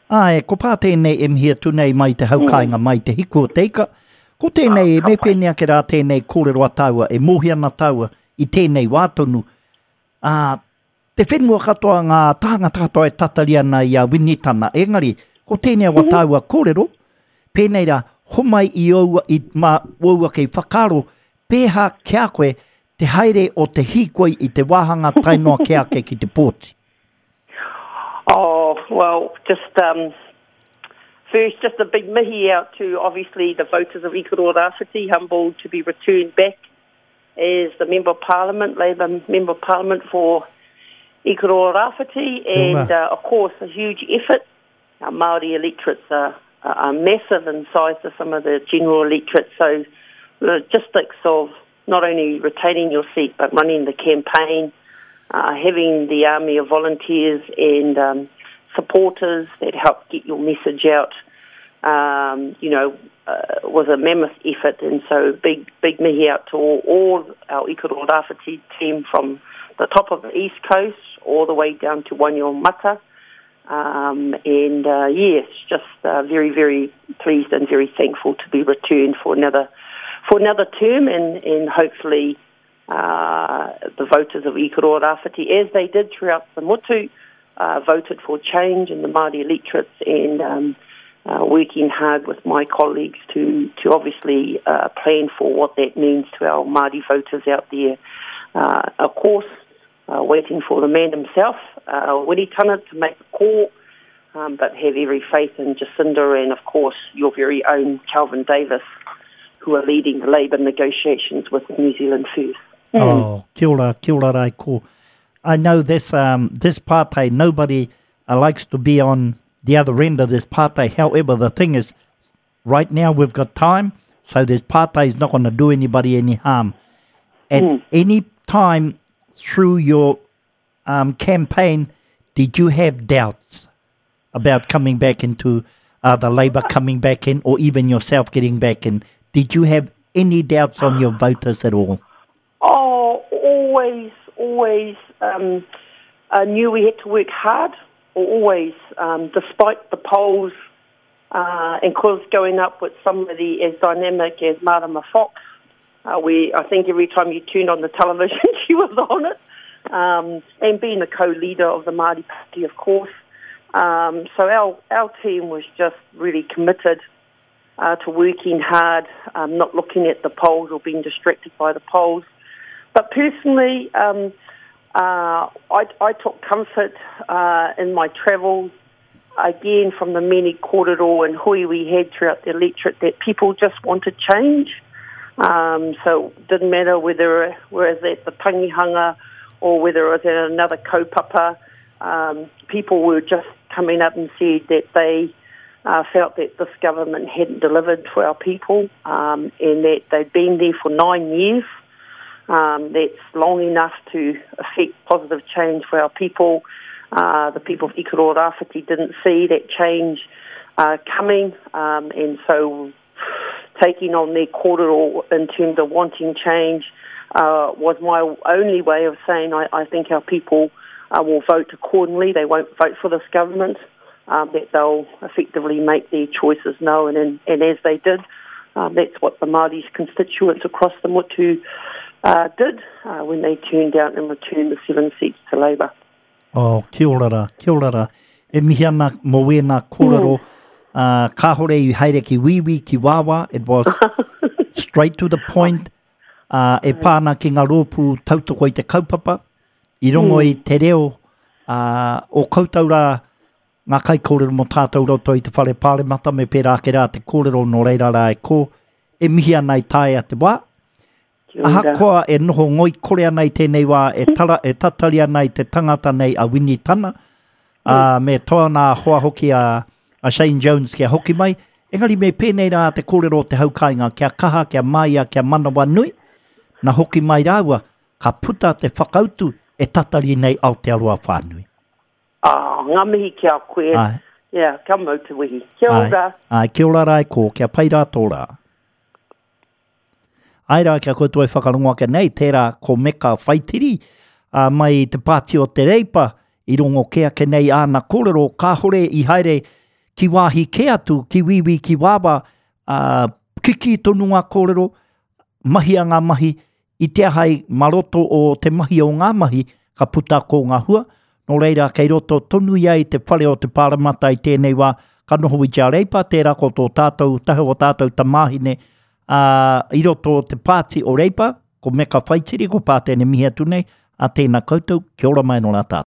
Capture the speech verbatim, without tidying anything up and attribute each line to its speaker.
Speaker 1: Āe, ko pā tēnei e mihi atu nei mai te haukāinga, mm. mai te hiku o te ika. Ko tēnei, ah, me pēnei ake rā tēnei kōrero a tāua, e mōhio ana tāua i tēnei wā tonu. Ā, te whenua katoa, ngā tāngata katoa e tatari ana i a Winitana. Engari, ko tēnei wa mm-hmm. tāua kōrero, pēnei rā, homai i oua, i mā oua kei whakaaro, pēhā kia koe te haere o te hīkoi i te wāhanga tae noa ke ake ki te pōti.
Speaker 2: Oh, well, just um, first, just a big mihi out to obviously the voters of Ikaroa Rāwhiti, humbled to be returned back as the Member of Parliament, Labour Member of Parliament for Ikaroa Rāwhiti, and uh, of course a huge effort. Our Māori electorates are, are massive in size to some of the general electorates, so logistics of not only retaining your seat but running the campaign, uh, having the army of volunteers and um, supporters that help get your message out, um, you know, uh, was a mammoth effort. And so big, big mihi out to all, all our Ikaroa Rāwhiti team from the top of the East Coast all the way down to Wainuiomata. Um, and uh, yes, just uh, very, very pleased and very thankful to be returned for another for another term, and, and hopefully uh, the voters of Ikaroa Rāwhiti, as they did throughout the motu, uh, voted for change in the Māori electorates, and um, uh, working hard with my colleagues to, to obviously uh, plan for what that means to our Māori voters out there. Uh, of course, uh, waiting for the man himself, uh, Winitana, to make the call, um, but have every faith in Jacinda and, of course, your very own Kelvin Davis, who are leading the Labour negotiations with New Zealand First.
Speaker 1: Mm. Oh, kia ora, kia ora rai ko. I know this um, this party, nobody uh, likes to be on the other end of this party. However, the thing is, right now we've got time, so this party is not going to do anybody any harm. At mm. any time through your um, campaign, did you have doubts about coming back into uh, the Labour coming back in, or even yourself getting back in? Did you have any doubts on your voters at all?
Speaker 2: Oh, always, always um, I knew we had to work hard, always, um, despite the polls uh, and cause going up with somebody as dynamic as Marama Fox. Uh, we, I think every time you turned on the television, she was on it, um, and being the co-leader of the Māori Party, of course. Um, so our, our team was just really committed uh, to working hard, um, not looking at the polls or being distracted by the polls. But personally, um, uh, I, I took comfort uh, in my travels, again from the many kōrero and hui we had throughout the electorate, that people just wanted change. Um, so it didn't matter whether it was at the tangihanga or whether it was at another kaupapa, um, people were just coming up and said that they uh, felt that this government hadn't delivered for our people, um, and that they'd been there for nine years. Um, that's long enough to affect positive change for our people. Uh, the people of Ikaroa Rāwhiti didn't see that change uh, coming, um, and so taking on their kōrero in terms of wanting change uh, was my only way of saying I, I think our people uh, will vote accordingly. They won't vote for this government, um, that they'll effectively make their choices known, and, and as they did, um, that's what the Māori constituents across the motu uh, did uh, when they turned out and returned the seven seats to Labour.
Speaker 1: Oh, kia ora rā, kia ora rā. E mihi ana mō wēnā kōrero, mm. uh, kāhore i haere ki wīwī, ki wāwā, it was straight to the point, uh, e pāna ki ngā rōpū tautoko i te kaupapa, i rongo mm. i te reo uh, o koutou rā, ngā kaikōrero mō tātou roto i te whare pāremata me pērā ake rā te kōrero nō reira rā e kō, e mihi ana i taea te wā. Ahakoa e noho ngoi kore ana i tēnei wā, e, tara, e tatari ana i te tangata nei a Winitana, mm. uh, me tōna hoa hoki a, a Shane Jones kia hoki mai. Engari me pēnei rā te kōrero o te haukainga, kia kaha, kia māia, kia manawa nui, na hoki mai rāua, ka puta te whakautu e tatari nei Aotearoa whānui.
Speaker 2: Ah, ngā mihi kia koe. Ai. Yeah, kia mau te wehi. Kia ora.
Speaker 1: Ai, kia ora rā e kō, kia pai rā tō rā. Ai rā, kia koutou e whakarongo ake nei, tērā ko Meka Whaitiri, uh, mai te pāti o te Reipa, i rongo ke ake nei āna kōrero, kāhore i haere ki wāhi kē atu, ki wīwī, ki wāwā, uh, kiki tonu ngā kōrero, mahia ngā mahi, i te aha i mā roto o te mahi o ngā mahi, ka puta ko ngā hua. Nō reira, kei roto tonu ia i te whare o te pāremata i tēnei wā, ka noho i te Reipa, tērā ko tō tātou, tahe o tātou tamāhine, uh, i roto o te pāti o Reipa, ko Meka Whaitiri, ko Pātene mihi atu nei, a tēnā koutou, kia ora mai nō rā tātou.